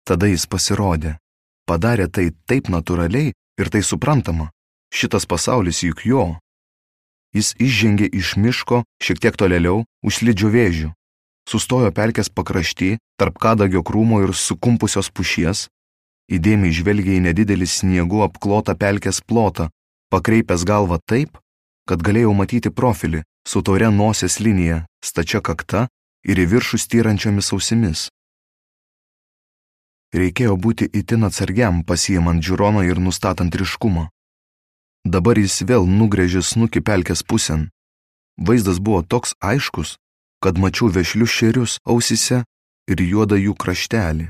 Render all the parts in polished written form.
Tada jis pasirodė. Padarė tai taip natūraliai ir tai suprantama. Šitas pasaulis juk jo. Jis išžengė iš miško šiek tiek tolėliau už slidžių vėžių. Sustojo pelkės pakrašty, tarp kadagio krūmo ir sukumpusios pušies. Įdėmiai žvelgė į nedidelį sniegu apklotą pelkės plotą, pakreipęs galvą taip, kad galėjau matyti profilį su tauria nosies linija, stačia kakta ir į viršų styrančiomis ausimis. Reikėjo būti itin atsargiam, pasiimant žiūroną ir nustatant ryškumą. Dabar jis vėl nugrėžė snukį pelkės pusėn. Vaizdas buvo toks aiškus, kad mačiau vešlius šerius ausyse ir juodą jų kraštelį.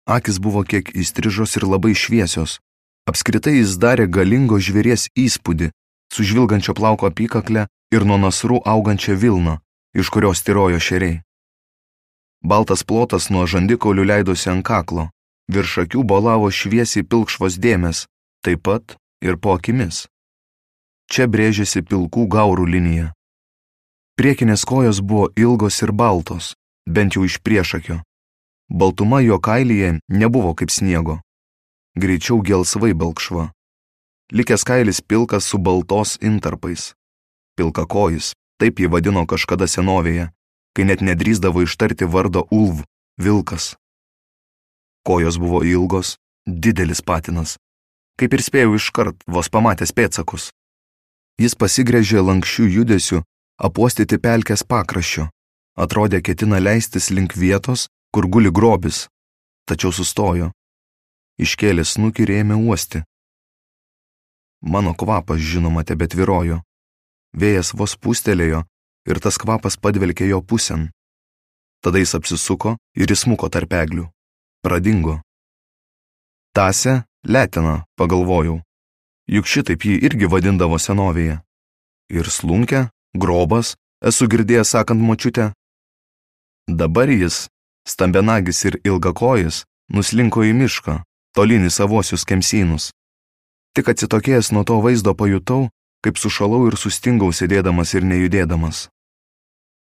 Akis buvo kiek įstrižos ir labai šviesios. Apskritai jis darė galingo žvėries įspūdį, su žvilgančio plauko apykakle ir nuo nasrų augančia vilna, iš kurios tyrojo šeriai. Baltas plotas nuo žandikaulių leidosi ant kaklo, virš akių bolavo šviesiai pilkšvos dėmės, taip pat ir po akimis. Čia brėžėsi pilkų gaurų linija. Priekinės kojos buvo ilgos ir baltos, bent jau iš priešakio. Baltuma jo kailyje nebuvo kaip sniego, greičiau gelsvai balkšva. Likęs kailis pilkas su baltos intarpais. Pilkakojis, taip jį vadino kažkada senovėje, kai net nedrįsdavo ištarti vardo Ulv, vilkas. Kojos buvo ilgos, didelis patinas, kaip ir spėjau iškart, vos pamatęs pėdsakus. Jis pasigręžė lankščių judesių, apuostyti pelkės pakraščio, atrodė ketina leistis link vietos, kur guli grobis, tačiau sustojo. Iškėlė snukį ir ėmė uosti. Mano kvapas, žinoma, tebetvyrojo. Vėjas vos pūstelėjo ir tas kvapas padvelkė jo pusėn. Tada jis apsisuko ir įsmuko tarp eglių. Pradingo. Tasė Letina, pagalvojau. Juk šitaip jį irgi vadindavo senovėje. Ir slunkę, grobas, esu girdėjęs sakant močiutę. Dabar jis, stambenagis ir ilgakojis, nuslinko į mišką, tolyn į savosius kemsynus. Tik atsitokėjęs nuo to vaizdo pajutau, kaip sušalau ir sustingau sėdėdamas ir nejudėdamas.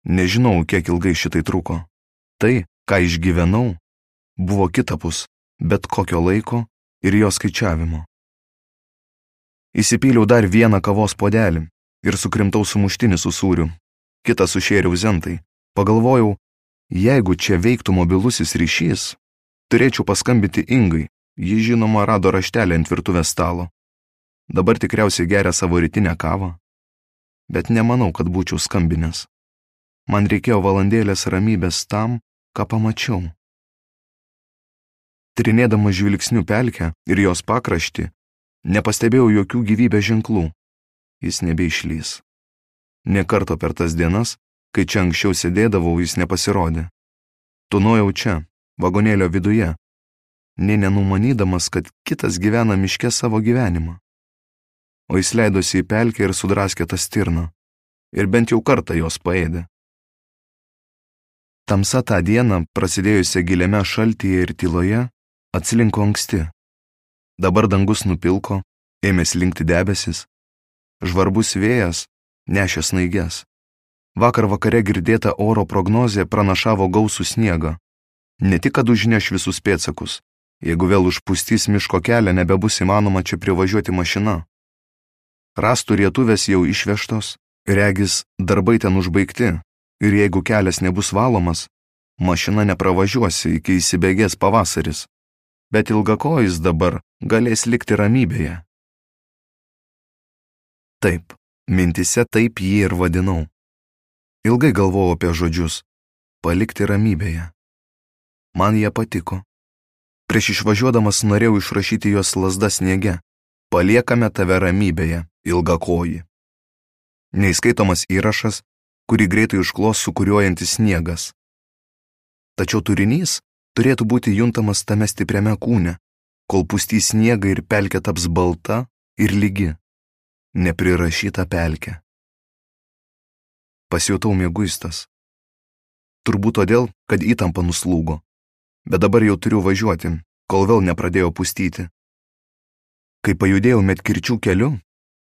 Nežinau, kiek ilgai šitai truko. Tai, ką išgyvenau, buvo kitapus, bet kokio laiko ir jo skaičiavimo. Įsipyliau dar vieną kavos puodelį ir sukrimtau sumuštinį su sūriu, kitą sušėriau zentai. Pagalvojau, jeigu čia veiktų mobilusis ryšys, turėčiau paskambinti Ingai, ji žinoma rado raštelį ant virtuvės stalo. Dabar tikriausiai geria savo rytinę kavą, bet nemanau, kad būčiau skambinęs. Man reikėjo valandėlės ramybės tam, ką pamačiau. Tyrinėdamas žvilgsniu pelkę ir jos pakraštį, nepastebėjau jokių gyvybės ženklų. Jis nebeišlys. Nė karto per tas dienas, kai čia anksčiau sėdėdavau, jis nepasirodė. Tūnojau čia, vagonėlio viduje, nė nenumanydamas, kad kitas gyvena miške savo gyvenimą. O jis leidosi į pelkę ir sudraskė tą stirną, ir bent jau kartą jos paėdė. Tamsa tą dieną, prasidėjusią giliame šaltyje ir tyloje, atsilinko anksti. Dabar dangus nupilko, ėmė slinkti debesis. Žvarbus vėjas nešė snaiges. Vakar vakare girdėta oro prognozė pranašavo gausų sniegą. Ne tik, kad užneš visus pėdsakus, jeigu vėl užpustys miško kelią, nebebus įmanoma čia privažiuoti mašina. Rąstų rietuvės jau išvežtos, regis darbai ten užbaigti, ir jeigu kelias nebus valomas, mašina nepravažiuosi iki įsibėgės pavasaris, bet ilgakojis dabar galės likti ramybėje. Taip, mintise taip jį ir vadinau. Ilgai galvojau apie žodžius – palikti ramybėje. Man jie patiko. Prieš išvažiuodamas norėjau išrašyti jos lazda sniege – paliekame tave ramybėje, ilgakoji. Neįskaitomas įrašas, kurį greitai užklos sukuriuojantis sniegas. Tačiau turinys turėtų būti juntamas tame stipriame kūne, kol pustys sniegą ir pelkė taps balta ir lygi. Neprirašyta pelkė. Pasijutau mieguistas. Turbūt todėl, kad įtampa nuslūgo. Bet dabar jau turiu važiuoti, kol vėl nepradėjo pustyti. Kai pajudėjau medkirčių keliu,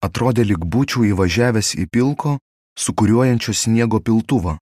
atrodė lyg būčiau įvažiavęs į pilko, sukuriuojančio sniego piltuvą.